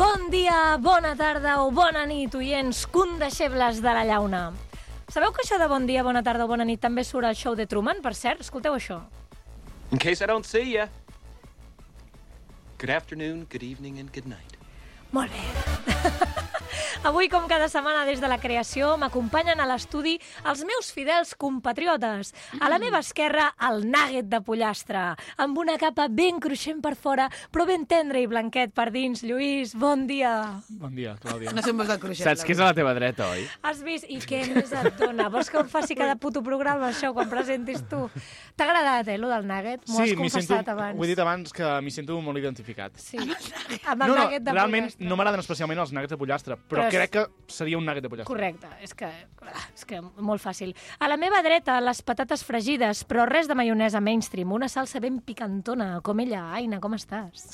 Bon dia, bona tarda o bona nit, oients, condeixebles de la llauna. Sabeu que això de bon dia, bona tarda o bona nit també surt al show de Truman, per cert? Escolteu això. In case I don't see ya. Good afternoon, good evening and good night. Molt bé. Avui, com cada setmana des de la creació, m'acompanyen a l'estudi els meus fidels compatriotes. A la meva esquerra, el nugget de pollastre, amb una capa ben cruixent per fora, però ben tendre i blanquet per dins. Lluís, bon dia. Bon dia, Clàudia. No sé on veus el cruixent. Saps que és a la teva dreta, oi? Has vist? I què més et dona? Vols que em faci cada puto programa, això, quan presentis tu? T'ha agradat, lo del nugget? M'ho has confessat abans. Ho he dit abans que m'hi sento molt identificat. Sí, amb el nugget de realment pollastre. no m'agraden especialment els nuggets de pollastre, però crec que seria un nugget de pollastre. Correcte, és que molt fàcil. A la meva dreta, les patates fregides, però res de maionesa mainstream, una salsa ben picantona, com ella. Aina, com estàs?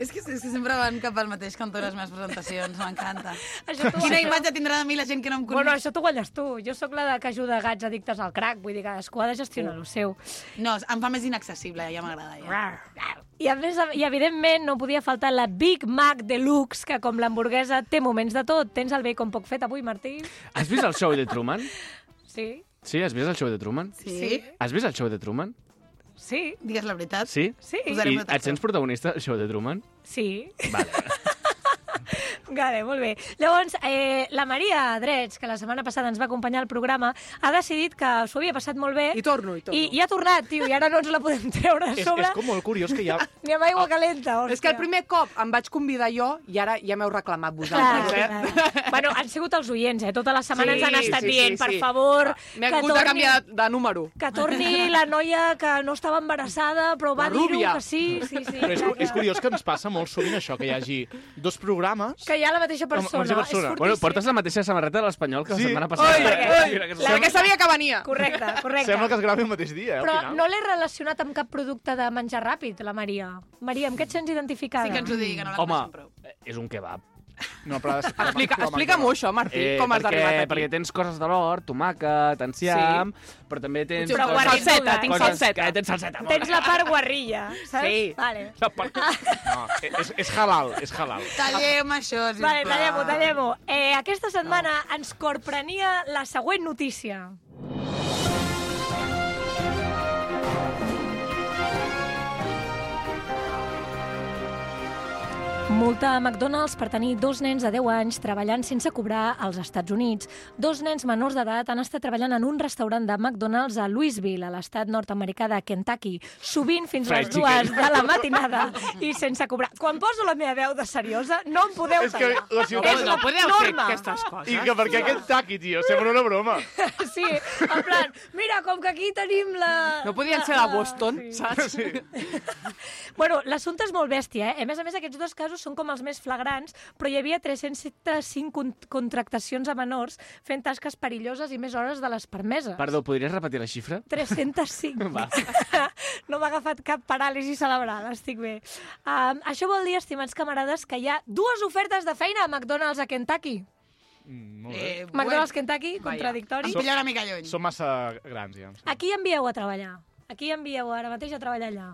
És que sempre van cap al mateix cantó les meves presentacions, m'encanta. Això tu- Quina això- imatge tindrà de mi la gent que no em coneix? Bueno, això t'ho guanyes tu. Jo sóc la que ajuda gats addictes al crack, vull dir, cadascú ha de gestionar el seu. No, em fa més inaccessible, ja m'agrada. Ja. I, a més, i evidentment no podia faltar la Big Mac Deluxe, que com l'hamburguesa té moments de tot. Tens el bacon poc fet avui, Martí? Has vist el show de Truman? Sí? Sí, has vist el show de Truman? Sí? Has vist el show de Truman? Sí? Digues la veritat. Sí? Sí? Posarem I una taxa. et sents protagonista del show de Truman? Sí. Vale. Vale, molt bé. Llavors, la Maria Drets, que la setmana passada ens va acompanyar al programa, ha decidit que s'ho havia passat molt bé. I torno. I ha tornat, tio, i ara no ens la podem treure a sobre. És com molt curiós que hi ha... Ni amb aigua calenta, hòstia. És que el primer cop em vaig convidar jo i ara ja m'heu reclamat vosaltres, Clar. Bueno, han sigut els oients, Tota la setmana ens han estat dient, per favor, M'he que hagut de canviar de número. que torni la noia que no estava embarassada, però va La dir-ho rúbia. que sí. Però és curiós que ens passa molt sovint això, que hi hagi dos programes... Que hi ha la mateixa persona. La mateixa persona. És Bueno, fortíssim. portes la mateixa samarreta de l'Espanyol que la Sí. setmana passada. Oi, oi, Mira, que perquè sabia que venia. Correcte. Sembla que es gravi el mateix dia, al Però final. no l'he relacionat amb cap producte de menjar ràpid, la Maria. Maria, amb què et sents identificada? Sí que ens ho digui, que no la Home, coneixem prou. és un kebab. No, però ha de ser- Explica'm-ho, això, Martí, com has arribat aquí. Perquè tens coses de l'hort, tomàquet, enciam, però també tens... Però coses- salseta, tinc coses salseta. Que tens salseta. Tens la part guarrilla, saps? Sí. Vale. No, és halal, és halal. Tallem això, sisplau. Vale, tallem-ho. Aquesta setmana ens corprenia la següent notícia. Multa a McDonald's per tenir dos nens de 10 anys treballant sense cobrar als Estats Units. Dos nens menors d'edat han estat treballant en un restaurant de McDonald's a Louisville, a l'estat nord-americà de Kentucky, sovint fins a les Fried chicken. 2 de la matinada i sense cobrar. Quan poso la meva veu de seriosa, no em podeu És que tallar. la ciutat... No podeu fer norma. aquestes coses. I que per què aquest taqui, tio? Sembla una broma. Sí, en plan, mira, com que aquí tenim la... No podien ser de Boston, saps? Bueno, l'assumpte és molt bèstia, A més a més, aquests dos casos són com els més flagrants, però hi havia 305 contractacions a menors fent tasques perilloses i més hores de les permeses. Perdó, podries repetir la xifra? 305. Va. No m'ha agafat cap paràlisi cerebral, estic bé. Això vol dir, estimats camarades, que hi ha dues ofertes de feina a McDonald's a Kentucky. Molt bé. McDonald's Kentucky, contradictori. Em pilla una mica lluny. Som massa grans, ja. A qui envieu a treballar? A qui envieu ara mateix a treballar allà?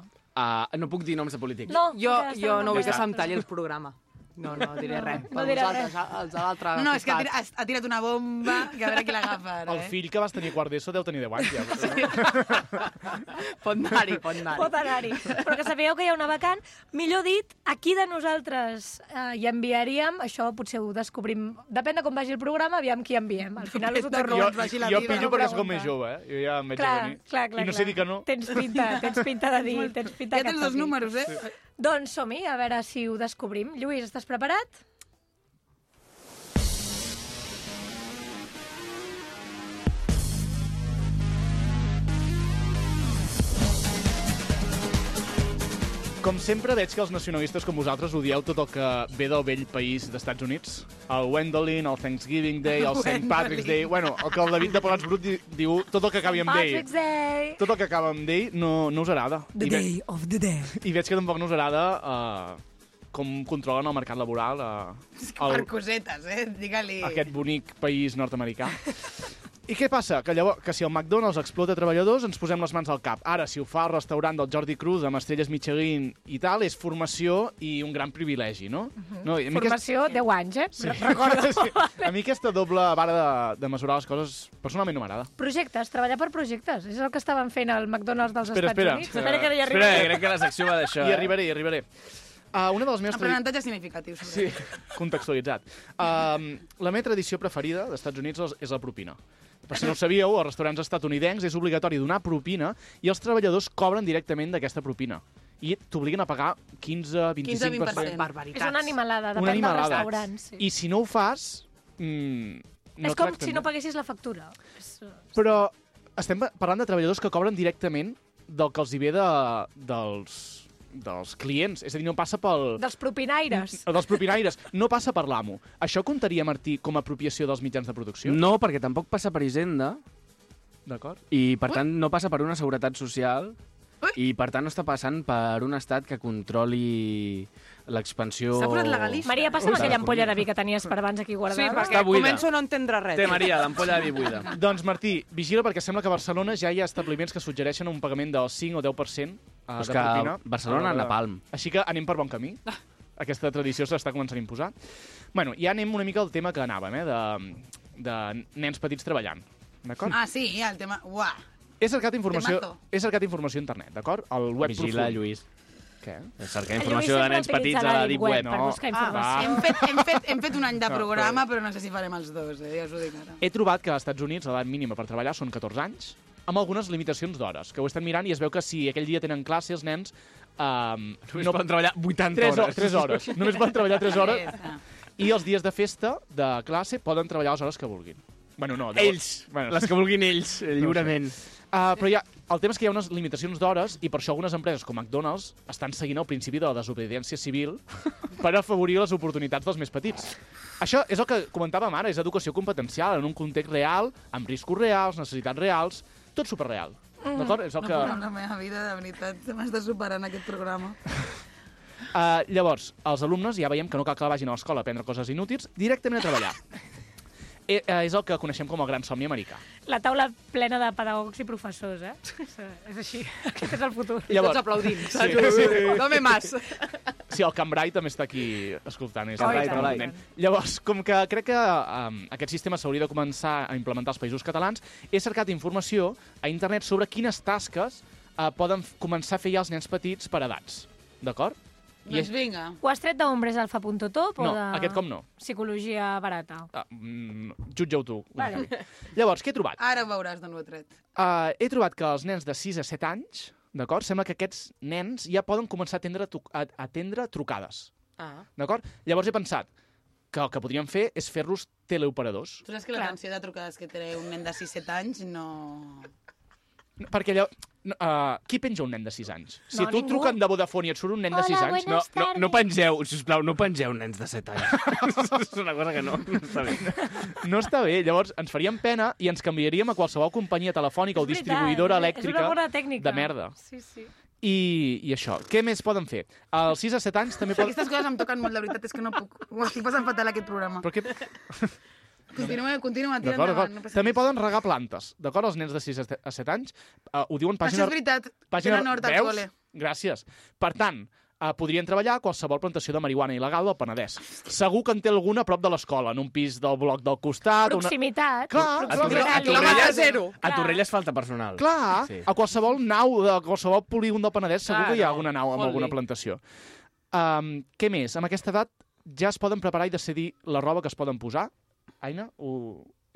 No puc dir noms de polítics. No, Jo no vull que Ja se'm talli el programa. No diré res. no Per diré vosaltres, els de l'altre No, és que costat. ha tirat una bomba, que a veure qui l'agafa ara, El fill que vas tenir quart d'ESO deu tenir 10 anys, ja. Pot anar-hi, pot anar-hi. Pot anar-hi. Però que sapigueu que hi ha una vacant. Millor dit, a qui de nosaltres hi enviaríem, això potser ho descobrim, depèn de com vagi el programa, aviam qui enviem. Al final us ho torno Jo, ens vagi la jo vida, pillo no perquè sóc pregunta. més jove, Jo ja em veig Clar, a venir. clar. I no sé dir que no. Tens pinta de dir, tens pinta Ja que tens et dos toqui. números, Doncs som-hi, a veure si ho descobrim. Lluís, estàs preparat? Com sempre, veig que els nacionalistes com vosaltres odieu tot el que ve del vell país d'Estats Units. El Wendolin, el Thanksgiving Day, el St. Patrick's Day... Bueno, el que el David de Pagats Brut diu tot el que acabi amb Day. Patrick's Day. Tot el que acaba amb Day no us agrada. The day of the day. I veig que tampoc no us agrada com controlen el mercat laboral Per cosetes, digue-li. aquest bonic país nord-americà. I què passa? Que si el McDonald's explota treballadors, ens posem les mans al cap. Ara, si ho fa el restaurant del Jordi Cruz amb estrelles Michelin i tal, és formació i un gran privilegi, no? No, i a mi Formació 10 anys, Sí. Recordo. Sí. A mi aquesta doble vara de mesurar les coses personalment no m'agrada. Projectes, treballar per projectes. És el que estaven fent al McDonald's dels Estats Units. Espera que hi Espera, arribaré. crec que la secció va d'això. Hi arribaré. Una de les meves Aprenentatge significatiu. Sí, contextualitzat. La meva tradició preferida dels Estats Units és la propina. Per si no ho sabíeu, als restaurants estatunidencs és obligatori donar propina i els treballadors cobren directament d'aquesta propina. I t'obliguen a pagar 15-25%. 15-20%. Barbaritats. És una animalada, Una depèn dels animalada. restaurants. Sí. I si no ho fas... És com si no paguessis la factura. Però estem parlant de treballadors que cobren directament del que els hi ve dels clients. És a dir, no passa pel... Dels propinaires. Dels propinaires. No passa per l'amo. Això comptaria, Martí, com a apropiació dels mitjans de producció? No, perquè tampoc passa per Hisenda D'acord? i, per tant, no passa per una seguretat social i, per tant, no està passant per un estat que controli l'expansió... S'ha posat legalista. Maria, passa'm aquella ampolla de vi que tenies per abans aquí Sí, guardada. perquè buida. començo a no entendre res. Té, Maria, l'ampolla de vi buida. Doncs, Martí, vigila perquè sembla que a Barcelona ja hi ha establiments que suggereixen un pagament del 5 o 10% És de que propina. Barcelona, napalm. Així que anem per bon camí. Aquesta tradició s'està començant a imposar. Bueno, ja anem una mica al tema que anàvem, de nens petits treballant. D'acord? Ah, sí, el tema... Uah. He cercat informació Temazo. a internet, d'acord? El web Vigila, profund. Lluís. Què? Cercar El informació Lluís de nens sempre petits utilitza a la la Deep Deep Web. Web per buscar informació. Hem fet un any de No, programa, però no sé si farem els dos, ja us ho dic ara. He trobat que als Estats Units l'edat mínima per treballar són 14 anys, amb algunes limitacions d'hores, que ho estan mirant i es veu que si aquell dia tenen classe els nens... No poden treballar 80 hores. 3 hores. Només poden treballar 3 hores. Ja està. I els dies de festa, de classe, poden treballar les hores que vulguin. Bueno, no. Ells, Bueno, les que vulguin ells, lliurement. però el tema és que hi ha unes limitacions d'hores i per això algunes empreses com McDonald's estan seguint el principi de la desobediència civil per afavorir les oportunitats dels més petits. Això és el que comentàvem ara, és educació competencial en un context real, amb riscos reals, necessitats reals, tot superreal. D'acord? És el No que... puc amb la meva vida, de veritat, m'està superant aquest programa. Llavors, els alumnes ja veiem que no cal que vagin a l'escola a aprendre coses inútils, directament a treballar. És el que coneixem com el gran somni americà. La taula plena de pedagogs i professors, És així. Aquest és el futur. I tots aplaudint. Sí. Dame más. Sí, el Cambrai també està aquí escoltant. És Cambrai, el Cambrai. nen. Llavors, com que crec que aquest sistema s'hauria de començar a implementar als països catalans, he cercat informació a internet sobre quines tasques poden començar a fer ja els nens petits per edats. D'acord? Doncs vinga. Ho has tret d'hombresalfa.top o No, de... aquest com no. Psicologia barata. Jutge-ho tu. Vale. Llavors, què he trobat? Ara ho veuràs d'on ho he tret. He trobat que els nens de 6 a 7 anys, d'acord, sembla que aquests nens ja poden començar a atendre trucades. D'acord? Llavors he pensat que el que podríem fer és fer-los teleoperadors. Tu saps que l'atenció de trucades que té un nen de 6-7 anys no... Perquè qui penja un nen de 6 anys? Si No, tu ningú. truquen de Vodafone i et surt un nen de 6 anys... No pengeu, sisplau, no pengeu nens de 7 anys. És una cosa que no està bé. No està bé. Llavors, ens faríem pena i ens canviaríem a qualsevol companyia telefònica o distribuïdora elèctrica És una bona tècnica. de merda. Sí, sí. I això. Què més poden fer? Als 6 a 7 anys també poden... Aquestes coses em toquen molt, de veritat, és que no puc. Ho estic passant fatal, aquest programa. Però què... Continua, tira D'acord, endavant. d'acord. També poden regar plantes, d'acord? Els nens de 6 a 7 anys ho diuen Això pàgina... és veritat. Tenen hort al Veus? col·le. Gràcies. Per tant, podrien treballar a qualsevol plantació de marihuana il·legal del Penedès. Segur que en té alguna a prop de l'escola, en un pis del bloc del costat... Proximitat. Clar, proximitat. Quilòmetre zero. A Torrelles falta personal. Clar, Sí. a qualsevol nau, de qualsevol polígon del Penedès, segur que hi ha alguna nau amb molt alguna bé. plantació. Què més? Amb aquesta edat ja es poden preparar i decidir la roba que es poden posar. Aina,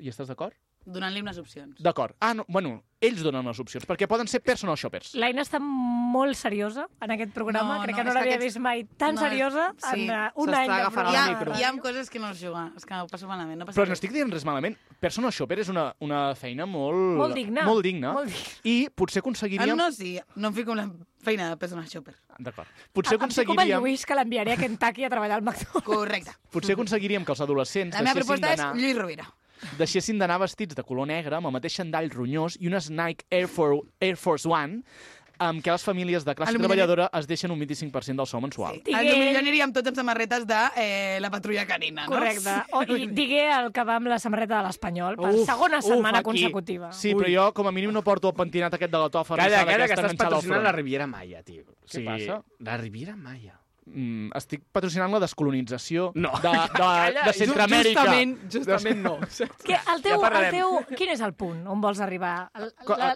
hi estàs d'acord? Donant-li unes opcions. D'acord. No, bueno, ells donen les opcions, perquè poden ser personal shoppers. L'Aina està molt seriosa en aquest programa. No, Crec no, que no és que l'havia aquests- vist mai tan no, seriosa sí, en un s'està any de agafant el programa. micro. Hi ha coses que no es juguen, és que ho passo malament. No passa Però no res. estic dient res malament. Personal shopper és una feina molt... Molt digna. Molt digna. Molt digna. I potser aconseguiríem... No, sí, no em fico en la feina de personal shopper. D'acord. Potser Em fico amb el aconseguiríem... Lluís, que l'enviaré a Kentucky a treballar al McDonald's. Correcte. Potser aconseguiríem que els adolescents La meva proposta és Lluís Rovira. deixessin d'anar vestits de color negre amb el mateix xandall ronyós i unes Nike Air Force One amb què les famílies de classe treballadora es deixen un 25% del sou mensual. Sí. Potser aniríem tots amb samarretes de la patrulla canina, no? Correcte. I digué el que va amb la samarreta de l'Espanyol per segona setmana consecutiva. Sí, però jo com a mínim no porto el pentinat aquest de la tofa. Calla, que estàs patrocinant la Riviera Maya, tio. Què passa? La Riviera Maya. Estic patrocinant la descolonització No. de Centroamèrica. Justament no. Quin és el punt on vols arribar?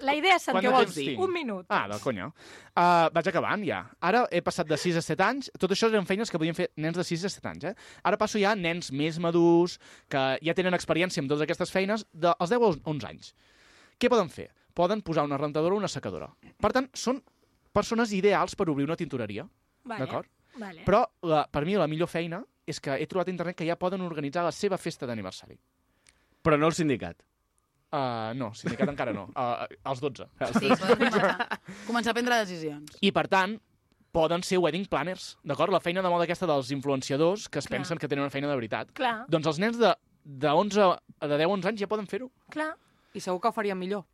La idea és què vols dir? Un minut. De conya. Vaig acabant, ja. Ara he passat de 6 a 7 anys. Tot això eren feines que podien fer nens de 6 a 7 anys, Ara passo ja a nens més madurs, que ja tenen experiència amb totes aquestes feines, dels 10 a 11 anys. Què poden fer? Poden posar una rentadora o una secadora. Per tant, són persones ideals per obrir una tintoreria. D'acord? Vale. Però per mi la millor feina és que he trobat a internet que ja poden organitzar la seva festa d'aniversari. Però no el sindicat. No, sindicat encara no. Els 12. Sí, poden començar a prendre decisions. I per tant, poden ser wedding planners, d'acord? La feina de moda aquesta dels influenciadors que es pensen que tenen una feina de veritat. Clar. Doncs els nens de 10 a 11 anys ja poden fer-ho. Clar. I segur que ho faríem millor.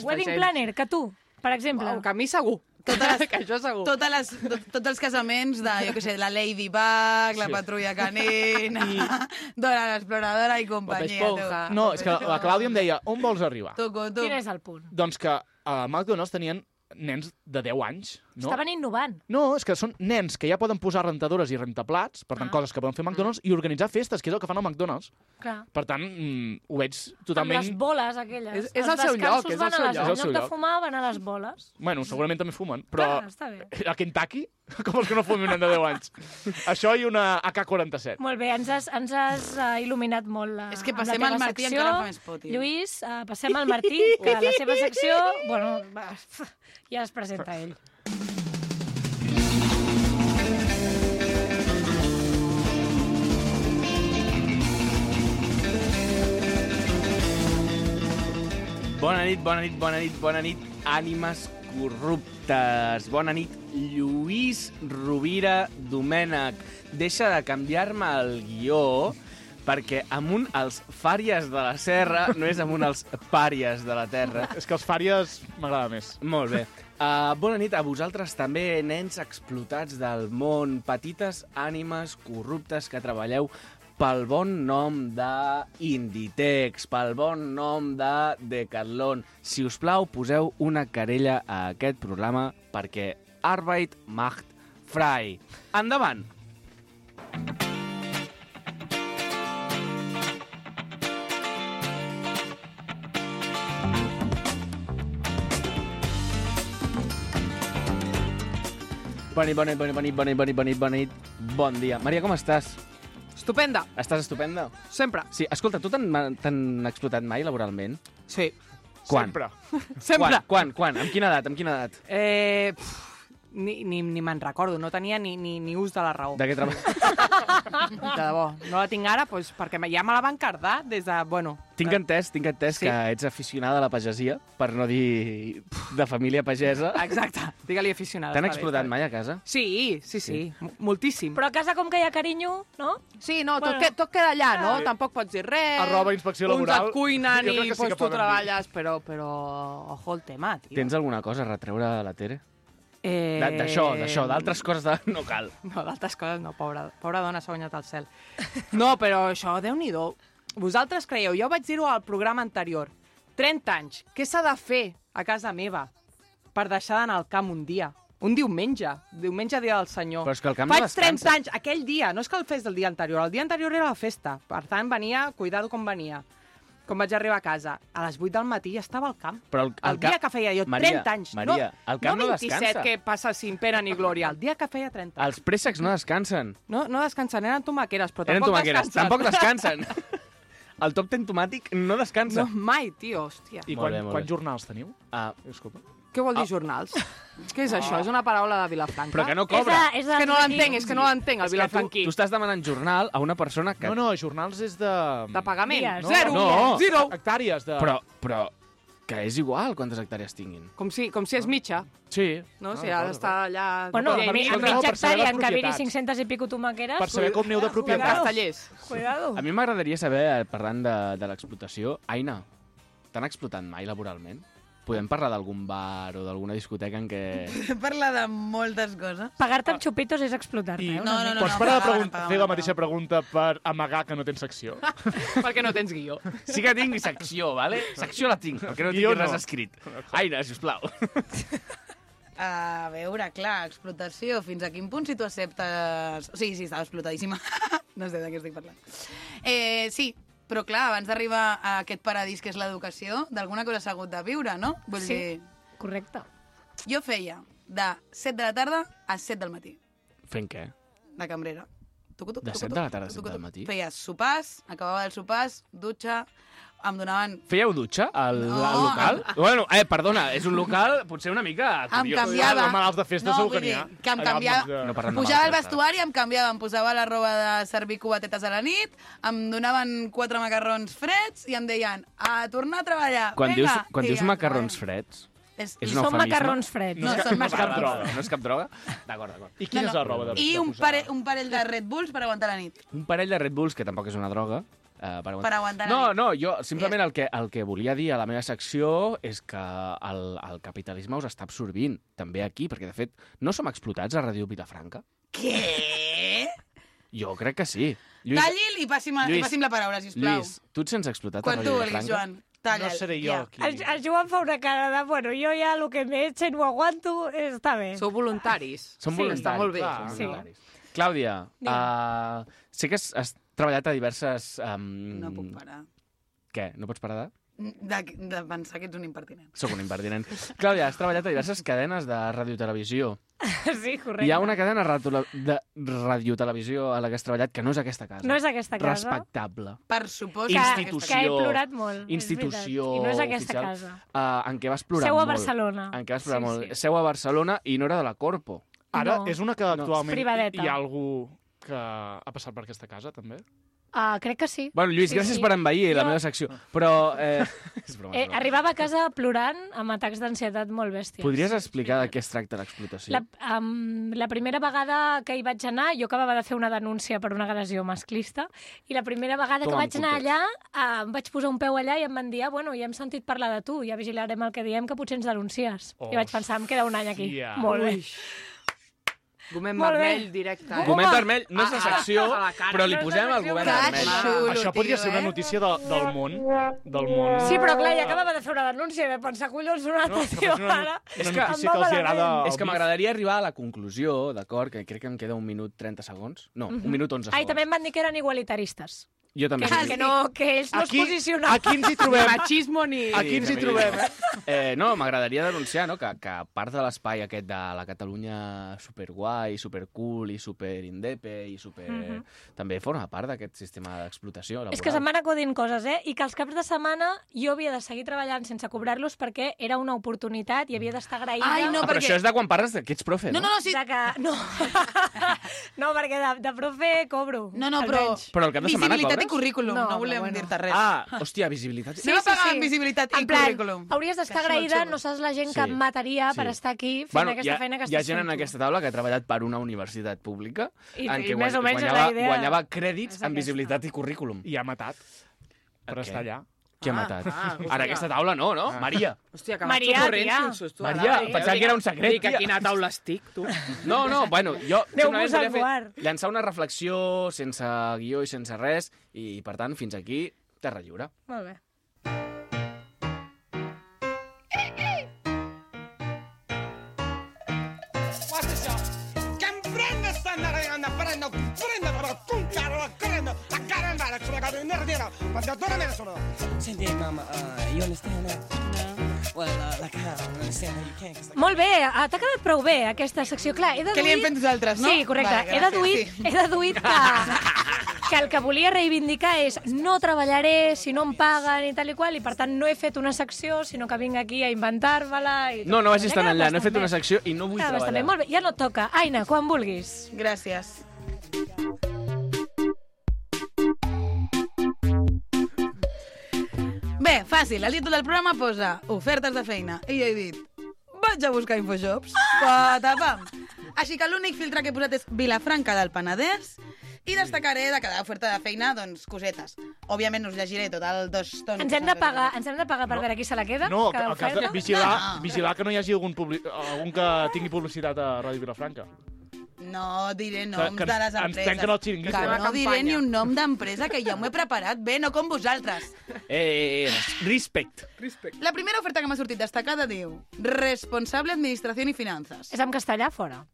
Wedding planner, que tu, per exemple. Que a mi segur. Que això segur. Tots els casaments de, jo què sé, la Ladybug, la Patrulla Canina, Dora l'Exploradora i companyia. No, és que la Clàudia em deia, on vols arribar? Quin és el punt? Doncs que a McDonald's tenien nens de 10 anys. No? Estaven innovant. No, és que són nens que ja poden posar rentadores i rentaplats, per tant, coses que poden fer McDonald's, i organitzar festes, que és el que fan al McDonald's. Clar. Per tant, ho veig totalment... Amb les boles, aquelles. És el seu lloc, és el seu lloc. En lloc de fumar, van a les boles. Bueno, segurament també fumen, però... Clar, està bé. A Kentucky? Com els que no fumin un nen de 10 anys? Això i una AK-47. Molt bé, ens has il·luminat molt És que passem al Martí encara fa més por, tio. Lluís, passem al Martí, que la seva secció... Bueno, ja es presenta ell. Bona nit, ànimes corruptes. Bona nit, Lluís Rovira Domènech. Deixa de canviar-me el guió perquè amunt els fàries de la serra no és amunt els pàries de la terra. És que els fàries m'agrada més. Molt bé. Bona nit a vosaltres també, nens explotats del món, petites ànimes corruptes que treballeu pel bon nom d'Inditex, pel bon nom de Decathlon. Si us plau, poseu una querella a aquest programa perquè Arbeit macht frei. Endavant! Bona nit. Bon dia. Maria, com estàs? Estupenda. Estàs estupenda? Sempre. Sí, escolta, tu t'han explotat mai laboralment? Sí. Quan? Sempre. Quan? Amb quina edat? Ni me'n recordo, no tenia ni ús de la raó. De què treballes? De debò. No la tinc ara, doncs, perquè ja me la van cardar des de... Bueno, Tinc entès Sí. que ets aficionada a la pagesia, per no dir de família pagesa. exacte, digue-li aficionada. T'han està bé, explotat està bé. mai a casa? Sí. Moltíssim. Però a casa com que hi ha carinyo, no? Sí, no, Bueno. tot queda allà, no? Tampoc pots dir res. Arroba inspecció laboral. Uns et cuinen Jo crec i que sí que pues, tu poden dir. treballes, però ojo el tema, tio. Tens alguna cosa a retreure a la Tere? Eh... D'això, d'altres coses no cal. No, d'altres coses no, pobra dona s'ha guanyat el cel. No, però això, Déu-n'hi-do. Vosaltres creieu, jo vaig dir-ho al programa anterior, 30 anys, què s'ha de fer a casa meva per deixar d'anar al camp un dia? Un diumenge dia del Senyor. Però és que el camp no Faig descansa. 30 anys, aquell dia, no és que el fes del dia anterior, el dia anterior era la festa, per tant venia, cuidado com venia. Com vaig arribar a casa, a les 8 del matí ja estava al camp. Però el dia que feia jo, Maria, 30 anys. Maria, el camp no 27 descansa. que passa sin pena ni glòria, el dia que feia 30 anys. Els préssecs no descansen. No descansen, eren tomaqueres, però Eren tampoc tomaqueres, descansen. tampoc descansen. El top ten tomàtic no descansa. No, mai, tio, hòstia. I Molt bé, molt quants bé. jornals teniu? Disculpa. Què vol dir jornals? Què és això? És una paraula de Vilafranca? Però que no cobra. És que no l'entenc, és que no l'entenc, el vilafranquí. Tu estàs demanant jornal a una persona que... No, jornals és de... De pagament. Dies. Zero. No. Zero. Hectàrees de... Però que és igual quantes hectàrees tinguin. Com si és mitja, Sí. no? Si ha d'estar allà... Bueno, Llei a mitja. escolta, mitja per saber hectàrea les en què haver-hi propietats. 500 i pico tomaqueres... Per saber com neu de propietats. Castellers. Cuidado. A mi m'agradaria saber, parlant de l'explotació, Aina, t'han explotat mai laboralment? Podem parlar d'algun bar o d'alguna discoteca en què... Parla de moltes coses. Pagar-te amb xupitos és explotar-te. I No, pots parar de fer la mateixa pregunta per amagar que no tens secció? Perquè no tens guió. Sí que tinc secció, vale? Secció la tinc, perquè no Guió tinc res no. escrit. Aina, sisplau. A veure, clar, explotació. Fins a quin punt si tu acceptes... Sí, estava explotadíssima. No sé de què estic parlant. Sí, però clar, abans d'arribar a aquest paradís que és l'educació, d'alguna cosa s'ha hagut de viure, no? Vull Sí, dir, correcte. jo feia de 7 de la tarda a 7 del matí, Fent què? de cambrera. De 7 de la tarda a 7 del matí? Feia sopars, acabava els sopars, dutxa, em donaven... Fèieu dutxa al No. local? Bueno, perdona, és un local potser una mica Em curiós. canviava. Els malalts de festa segur que vull n'hi dir, ha. que em Allà al canviava... mig de- No parlem de Pujava al malalts de vestuari, em canviava, em posava la roba de servir cubatetes a la nit, em donaven 4 macarrons freds i em deien, a tornar a treballar, Quan vinga. dius I macarrons bueno, freds, És és I un són eufemisme? macarrons freds. No, és són cap macarrons. droga. No és cap droga? D'acord. I quina és la roba de I de un posar? parell de Red Bulls per aguantar la nit. Un parell de Red Bulls, que tampoc és una droga, Per aguantar la No, nit. no, jo simplement el que volia dir a la meva secció és que el capitalisme us està absorbint, també aquí, perquè de fet no som explotats a Ràdio Vilafranca. Què? Jo crec que sí. Talli'l i passi'm la paraula, sisplau. Lluís, tu et sents explotat Quan a tu Ràdio vulguis, Vilafranca? Joan. Talla'l. No seré jo ja. aquí. El Joan fa una cara de, bueno, jo ja el que m'he hecho no aguanto, està bé. Sou voluntaris. Som Sí, voluntaris. està molt bé. clar. som Sí. voluntaris. Clàudia, sé que has treballat a diverses... No puc parar. Què? No pots parar de...? De pensar que ets un impertinent. Soc un impertinent. Clàudia, has treballat a diverses cadenes de radiotelevisió. Sí, correcte. Hi ha una cadena de radiotelevisió a la que has treballat que no és aquesta casa. No és aquesta casa. Respectable. Per supost. Que, Institució. que he plorat molt. Institució és veritat. I no és aquesta oficial. casa. En què vas plorar Seu a molt. Barcelona. En què vas plorar Sí, molt. sí. Seu a Barcelona i no era de la Corpo. Ara No. és una que actualment Privadeta. hi ha algú que ha passat per aquesta casa, també? Crec que sí. Bueno, Lluís, Sí, gràcies sí. per envair la Jo- meva secció. Però... és broma, és broma. Arribava a casa plorant amb atacs d'ansietat molt bèsties. Podries explicar de què es tracta l'explotació? La primera vegada que hi vaig anar, jo acabava de fer una denúncia per una agressió masclista, i la primera vegada que Toma, vaig anar allà, em vaig posar un peu allà i em van dir, bueno, ja hem sentit parlar de tu, ja vigilarem el que diem, que potser ens denuncies. I vaig pensar, em queda un any aquí. Hòstia. Molt bé. Gomet Molt bé. vermell directe. Gomet vermell no és la secció, a la cara. però li No és posem la el secció, gomet però- vermell. Que xulo, Això podria tio, ser una notícia del món. Del món. Sí, però clar, ja acabava de fer una denúncia i vam pensar, collons, una altra, que tio, faci una- ara. És que- una notícia que els hi agrada... És que m'agradaria arribar a la conclusió, d'acord, que crec que em queda 1 minut 30 segons. No, 1 minut 11 segons. Ai, també em van dir que eren igualitaristes. Jo també. Que, soc que, no, que ells no Aquí, es posicionaven. aquí ens hi Ni trobem. machismo ni... Aquí ens hi trobem, eh? No, m'agradaria denunciar no, que part de l'espai aquest de la Catalunya superguai, supercool i superindepe i super... també forma part d'aquest sistema d'explotació laboral. És que se'm van acudint coses, I que els caps de setmana jo havia de seguir treballant sense cobrar-los perquè era una oportunitat i havia d'estar agraïda. Ai, no, Però perquè- això és de quan parles que ets profe, no? No, sí. De que... No, no perquè de profe cobro. No, però... almenys. Però el cap de setmana Visibilitat i cobres? currículum, No, no volem però bueno. dir-te res. Hòstia, visibilitat. Anem a pagar amb visibilitat i En plan, currículum. hauries d'estar Que xulo, agraïda, xulo. no saps la gent que Sí. et mataria Sí. per estar aquí fent aquesta feina que hi ha estàs gent fent en tu. aquesta taula que ha treballat per una universitat pública I- en i què més o menys és guanyava, la idea. guanyava crèdits És en aquesta. visibilitat i currículum. I ha matat per Què? estar allà. Qui ha matat? hòstia. Ara aquesta taula no, no? Maria. Hòstia, que Maria, m'has corrents, tia. un susto. Maria, pensava que era un secret, Dic, a tia. quina taula estic, tu? No, bueno, jo Aneu-vos simplement al volia bar. llançar una reflexió sense guió i sense res i, per tant, fins aquí, terra lliure. Molt bé. Senti, Mama, you understand that? No. Well, like how? I understand how you can. 'Cause, like, Molt bé, t'ha quedat prou bé aquesta secció. Clar, he deduït... Què li hem fet nosaltres, no? Sí, correcte. Vale, he gràcies, deduït que el que volia reivindicar és no treballaré si no em paguen i tal i qual, i per tant no he fet una secció, sinó que vinc aquí a inventar-me-la. I tot. No vagis M'ha tan quedat enllà, no he fet bastant una bé. secció i no vull Queda bastant bé. treballar. Molt bé, ja no et toca. Aina, quan vulguis. Gràcies. Bé, fàcil. El títol del programa posa ofertes de feina. I jo he dit, vaig a buscar Infojobs. Patapam. Així que l'únic filtre que he posat és Vilafranca del Penedès I destacaré de cada oferta de feina, doncs, cosetes. Òbviament us llegiré tot el 2 tons. Ens hem de pagar per veure qui se la queda? No, cada el cas de oferta? vigilar que no hi hagi algun que tingui publicitat a Ràdio Vilafranca. No diré noms Que de les ens empreses. tanquen el xiringuito. Que no Campanya. diré ni un nom d'empresa, que ja m'ho he preparat bé, no com vosaltres. Respect. La primera oferta que m'ha sortit destacada diu Responsable Administració i Finances. És en castellà, fora.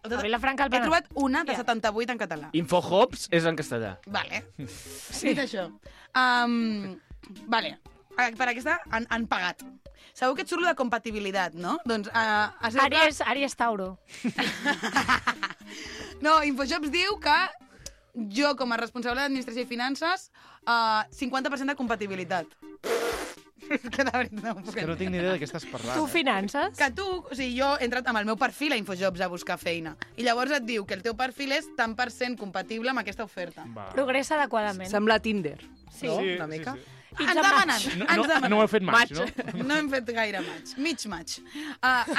A Vilafranca, al He Penedès. trobat una de 78 en català. Infohops és en castellà. Vale. Sí. Dit això. Vale. Per aquesta han pagat. Segur que et surt lo de compatibilitat, no? Doncs... Àries Tauro. No, Infojobs diu que jo, com a responsable d'Administració i Finances, 50% de compatibilitat. És que de veritat no ho puc Que no tinc ni idea de què estàs parlant. Tu finances? Que tu, o sigui, jo he entrat amb el meu perfil a Infojobs a buscar feina. I llavors et diu que el teu perfil és tant per cent compatible amb aquesta oferta. Va. Progressa adequadament. Sembla Tinder. Sí. No? Sí, Una mica. sí. Ens demanen, No ho he fet maig, no? No hem fet gaire maig, mig maig.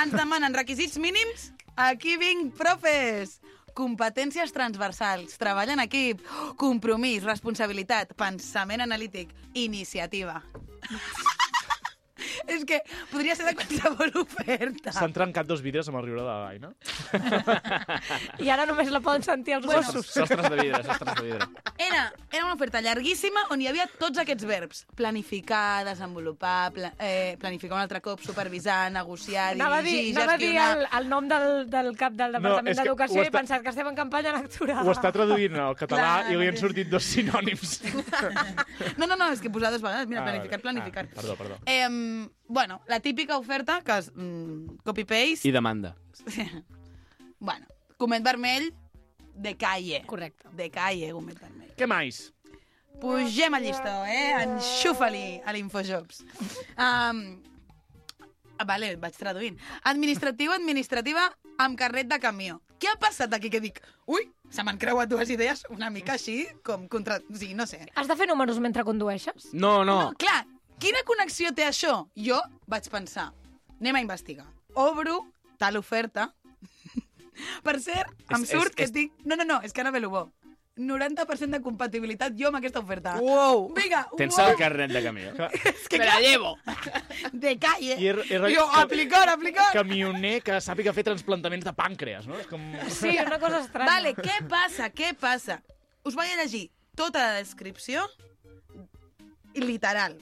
Ens demanen requisits mínims. Aquí vinc, profes. Competències transversals, treball en equip, compromís, responsabilitat, pensament analític, iniciativa. És que podria ser de qualsevol oferta. S'han trencat 2 vídeos amb el riure de l'Aina. I ara només la poden sentir els gossos. Sostres de vidre, sostres de vidre. Era una oferta llarguíssima on hi havia tots aquests verbs. Planificar, desenvolupar, planificar un altre cop, supervisar, negociar, dirigir, Anava a dir gestionar... el nom del cap del Departament és que d'Educació ho i he pensat que estem en campanya electoral. Ho està traduint al català Clar, i li han sortit 2 sinònims. No, és que posar 2 vegades. Mira, planificar. Perdó. Bueno, la típica oferta que és copy-paste. I demanda. Bueno, comet vermell de calle. Correcte. De calle, comet vermell. Què més? Pugem al llistó, Enxufa-li a l'Infojobs. Vale, vaig traduint. Administrativa amb carnet de camió. Què ha passat aquí que dic? Ui, se m'han creuat 2 idees una mica així, com contra... Sí, no sé. Has de fer números mentre condueixes? No. No, clar, quina connexió té això? Jo vaig pensar, anem a investigar. Obro tal oferta. Per cert, em surt que estic... No, és que ara ve lo bo. 90% de compatibilitat jo amb aquesta oferta. Wow! Vinga, Tens wow. el carnet de camió. És que Me la llevo! de calle. I Jo, aplicar. Camioner que sàpiga fer transplantaments de pàncreas, no? És com... Sí, una cosa estranya. Vale, què passa? Us vaig a llegir tota la descripció literal.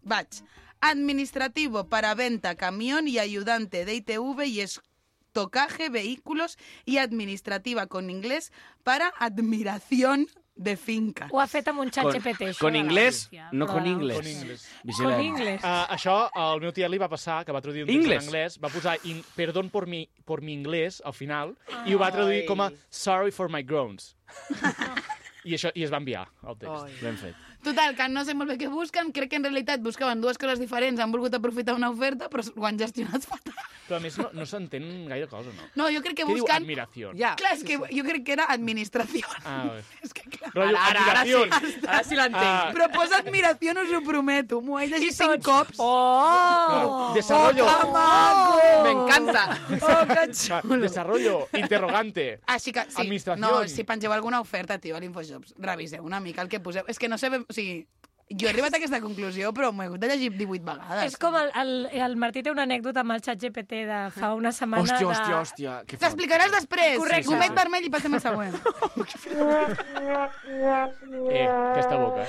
Vaig. Administrativo para venta, camión y ayudante de ITV y estocaje, vehículos y administrativa con inglés para admiración de finca. Ho ha fet amb un xat GPT, això. Con de la inglés, Gràcia. no con Però- inglés. Con inglés. Con Vigilem. inglés. Això al meu tiet li va passar, que va traduir un text Inglés. en anglès, va posar perdón por mi inglés al final, i ho va traduir com a sorry for my groans. I es va enviar el text. Ben fet. Total, que no sé molt bé què busquen. Crec que en realitat buscaven 2 coses diferents, han volgut aprofitar una oferta, però ho han gestionat fatal. Però a més no s'entén gaire cosa, no? No, jo crec que Què diu busquen... admiració? Ja. Clar, és que jo crec que era administració. Bé. És que clar... Rotllo, admiració. Ara sí l'entenc. Però posa admiració, us ho prometo. M'ho he llegit 5 cops. Oh! Desarrollo. ¡Que maco! Me encanta. Oh, que xulo. Desarrollo. Interrogante. Així que, sí. Administració. No, si pengeu alguna oferta, tio, a l'Infojobs, reviseu una mica el que poseu. És que no sé... O sigui, jo he arribat a aquesta conclusió, però m'ho he hagut de llegir 18 vegades. És com el Martí té una anècdota amb el xat GPT de fa una setmana Hòstia. Que fort. T'explicaràs després. Correcte. Comet vermell i passem al següent. Aquesta boca.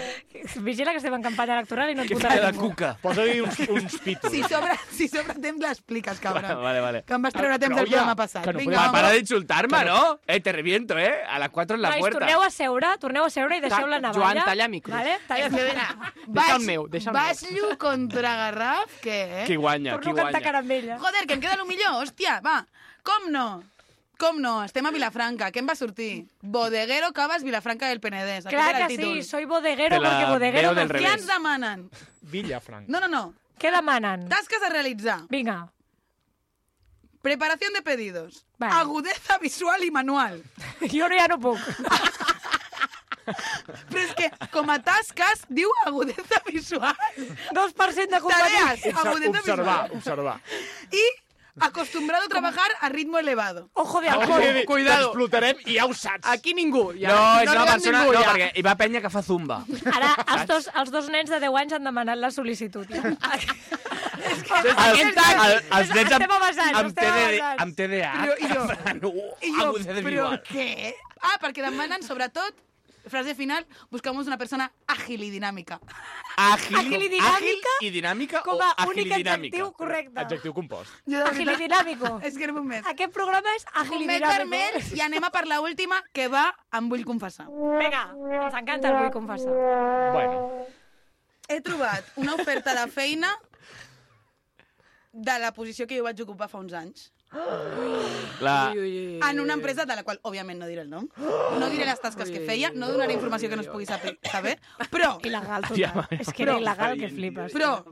Vigila que estem en campanya electoral i no et Que votarà fa de ningú. cuca. Posa-li uns pitos. Si sobra temps l'expliques, cabron. Vale. Que em vas treure temps Però, del oye, programa passat. que no Vinga, podem home. Para de insultar-me, ¿no? Te reviento, A las 4 en la Nois, puerta. torneu a seure i deixeu la navalla. Joan, talla micros. Vale? Talla Deixa el meu, deixa el meu. Baix-llo contra Garraf, què? Qui guanya, Torno a cantar caramella. Joder, que em queda el millor, hòstia, va. Com no? Estem a Vilafranca. Què em va sortir? Bodeguero Cavas Vilafranca del Penedès. Aquest Clar era el que títol. sí, soy bodeguero Te la porque bodeguero... veo del no- revés. Què ens demanen? Villafranca. No. Què demanen? Tasques a realitzar. Vinga. Preparación de pedidos. Vale. Agudeza visual i manual. Jo ja no puc. Però és que, com a tasques, diu agudeza visual. 2% de companyia. Tareas, agudeza visual. Observar. I acostumbrado a trabajar a ritmo elevado. Ojo de halcón. Cuidado. T'explotarem i ja ho saps. Aquí ningú. Ja. No, és una arriba persona... ningú, No, ja. perquè hi va penya que fa zumba. Ara els dos nens de 10 anys han demanat la sol·licitud. Ja. Els nens Estem avançant, amb estem avançant. amb TDA. I jo, Agudeza però visual. què? Ah, perquè demanen, sobretot, frase final, buscamos una persona ágil y dinámica. Àgil i dinàmica Àgil i dinàmica com o a àgil únic i dinàmica? adjectiu correcte. Adjectiu compost. Jo, de Àgil i veritat, dinàmico. és que era un mes. Aquest programa és àgil i Comet dinàmico. vermell i anem a per l'última, que va em vull confessar. Vinga, ens encanta el vull confessar. Bueno, He trobat una oferta de feina de la posició que jo vaig ocupar fa uns anys. La... En una empresa de la qual, òbviament, no diré el nom. No diré les tasques que feia, no donaré informació que no es pugui saber, però... Il·legal, Ja, total. És que era il·legal que flipes. Però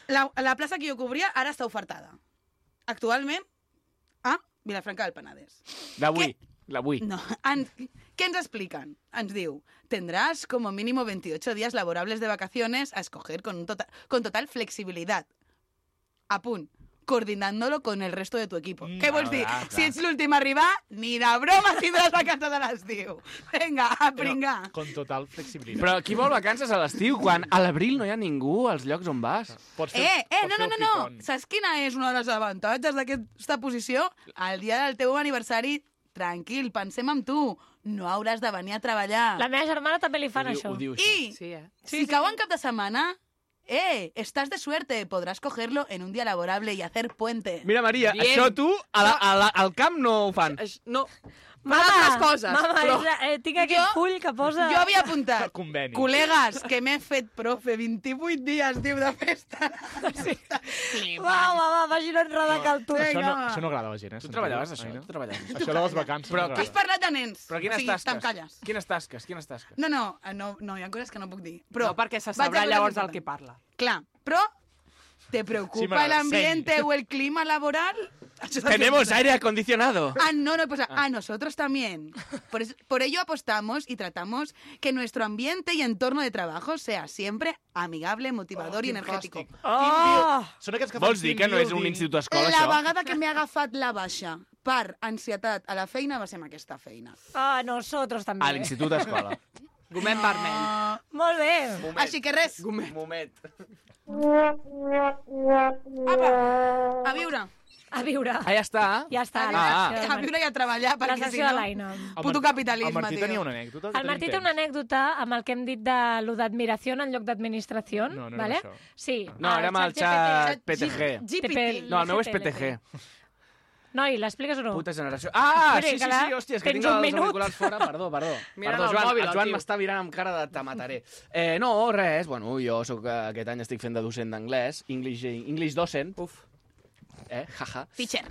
la plaça que jo cobria ara està ofertada. Actualment a Vilafranca del Penedès. D'avui. L'avui. No, ¿qué ens explican? Ens diu, tendrás como mínimo 28 días laborables de vacaciones a escoger con total flexibilidad. A punt. Coordinándolo con el resto de tu equipo. Què vols dir? clar. Si ets l'últim a arribar, ni de broma tindràs vacances a l'estiu. Vinga, a pringar. con total flexibilitat. Però qui vol vacances a l'estiu quan a l'abril no hi ha ningú als llocs on vas? Pots No. fer el picón. Saps quina és una de les avantatges d'aquesta posició? El dia del teu aniversari, tranquil, pensem en tu. No hauràs de venir a treballar. La meva germana també li fan això. Ho diu això. I Sí, si cau en cap de setmana, estás de suerte, podrás cogerlo en un día laborable y hacer puente. Mira, Maria, Bien. això tu al camp no ho fan. No, Mama, altres coses, mama, però- tinc aquest Jo- full que posa... Jo havia apuntat, Conveni. col·legues, que m'he fet profe, 28 dies, diu, de festa. Va, vagi no enredar que el tu. Això no, Vinga. això no agrada a la gent, eh? Tu treballaves Ai, això? no? Tu treballaves. Això de les vacances. Però no què Has m'agrada. parlat de nens. Però quines o sigui, tasques? te'n calles. Quines tasques? No, hi ha coses que no puc dir. Però no perquè se vaig a sabrà coses llavors del importants. que parla. Clar, però ¿te Sí, preocupa m'agrada. el ambiente o el clima laboral? Això és el que Tenemos posa. aire acondicionado. No, pues a nosotros también. Por ello apostamos y tratamos que nuestro ambiente y entorno de trabajo sea siempre amigable, motivador y energético. Oh! Són aquests que fan Vols dir que no és un institut escola, La això? vegada que m'he agafat la baixa per ansietat a la feina va ser amb aquesta feina. Ah, nosotros també. A l'institut escola. Gomet vermell. Molt bé. Així que res, Moment. apa, a viure. A viure. Ah, ja està? Ja està. Ah. A viure i a treballar, La perquè si sessió de no... l'Aina. Puto capitalisme, El Martí tio. tenia una anècdota. El Martí té una anècdota amb el que hem dit de lo d'admiració en lloc d'administració. No, no era vale? això. Sí. No, era amb el xat PTG. GPT. No, el meu és GPT. PTG. Noi, l'expliques o no? Puta generació. Ah, Espera, sí, que la- hòstia, és que tens tinc un els minut. auriculars fora. Perdó. Mira Perdó, el Joan, mòbil, el el Joan tio. m'està mirant amb cara de te mataré. No, res, bueno, jo aquest any estic fent de docent d'anglès, English docent. Uf. Jaja. Teacher.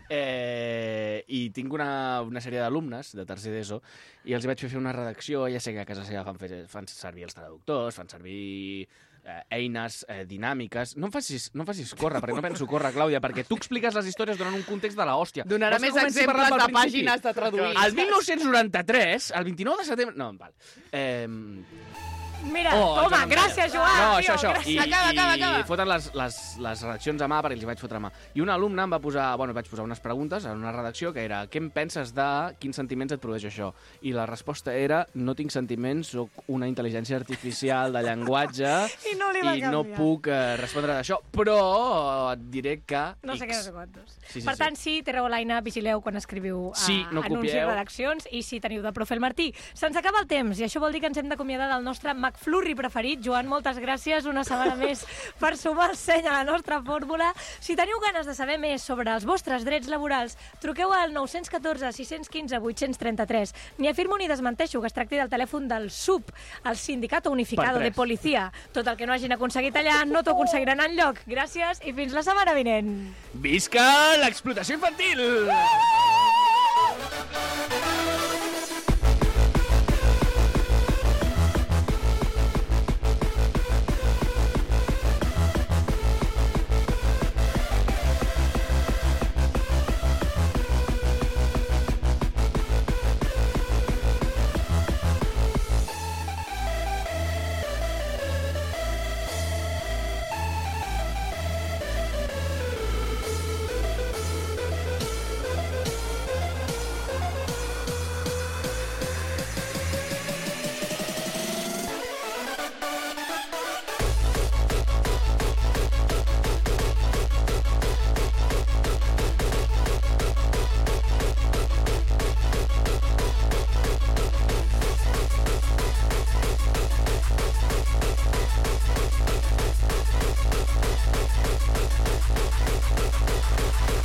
I tinc una sèrie d'alumnes de tercer d'ESO i els hi vaig fer una redacció. Ja sé que a casa seva fan servir els traductors, fan servir eines dinàmiques. No em facis córrer, perquè no penso córrer, Clàudia, perquè tu expliques les històries donant un context de l'hòstia. Donarà Vols que més comenci exemples parlant de pel principi? pàgines de traduir. El 1993, el 29 de setembre... No, val. Mira, Oh, toma, Joan, gràcies, Joan. No, tio, això. gràcies. Acaba. I foten les redaccions a mà perquè els hi vaig fotre a mà. I una alumna em va posar... Bueno, vaig posar unes preguntes en una redacció que era què em penses de quins sentiments et produeix això? I la resposta era no tinc sentiments, sóc una intel·ligència artificial de llenguatge I no li va i no canviar. puc respondre d'això. Però et diré que... No sé X. què, no sé quantos. Sí, Per tant, sí, Terreu l'Aina, vigileu quan escriviu Sí, no anuncis, copieu. redaccions, i si teniu de profe el Martí. Se'ns acaba el temps, i això vol dir que ens hem d'acomiadar del nostre McFlurry preferit. Joan, moltes gràcies una setmana més per sumar el seny a la nostra fórmula. Si teniu ganes de saber més sobre els vostres drets laborals, truqueu al 914 615 833. Ni afirmo ni desmenteixo que es tracti del telèfon del SUP, el Sindicato Unificado Per de tres. Policia. Tot el que no hagin aconseguit allà no t'ho aconseguiran enlloc. Gràcies i fins la setmana vinent. Visca l'explotació infantil! Thank